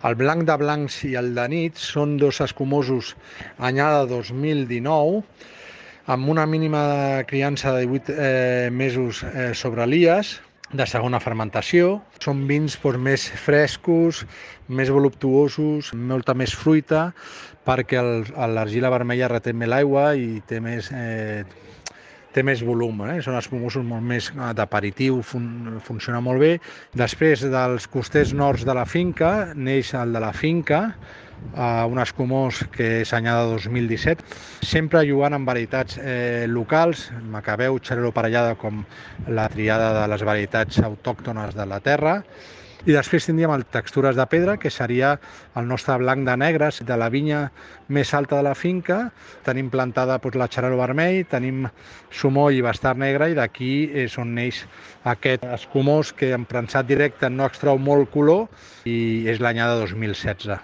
El blanc de blancs i el de nit són dos escumosos anyada 2019, amb una mínima criança de 18 mesos sobre l'IAS, de segona fermentació. Són vins més frescos, més voluptuosos, molta més fruita, perquè l'argila vermella reté més l'aigua i té més volum, Són espumosos molt més d'aperitiu, funciona molt bé. Després dels costers nords de la finca, neix el de la finca, un escumós que és anyada 2017, sempre jugant amb varietats locals, Macabeu, Xarel·lo Parellada, com la triada de les varietats autòctones de la terra. I després tindríem el Textures de Pedra, que seria el nostre blanc de negres de la vinya més alta de la finca. Tenim plantada la Xarel·lo vermell, tenim Sumoll i Bastard negre, i d'aquí és on neix aquest escumós que en premsat directe no extrau molt color i és l'anyada 2016.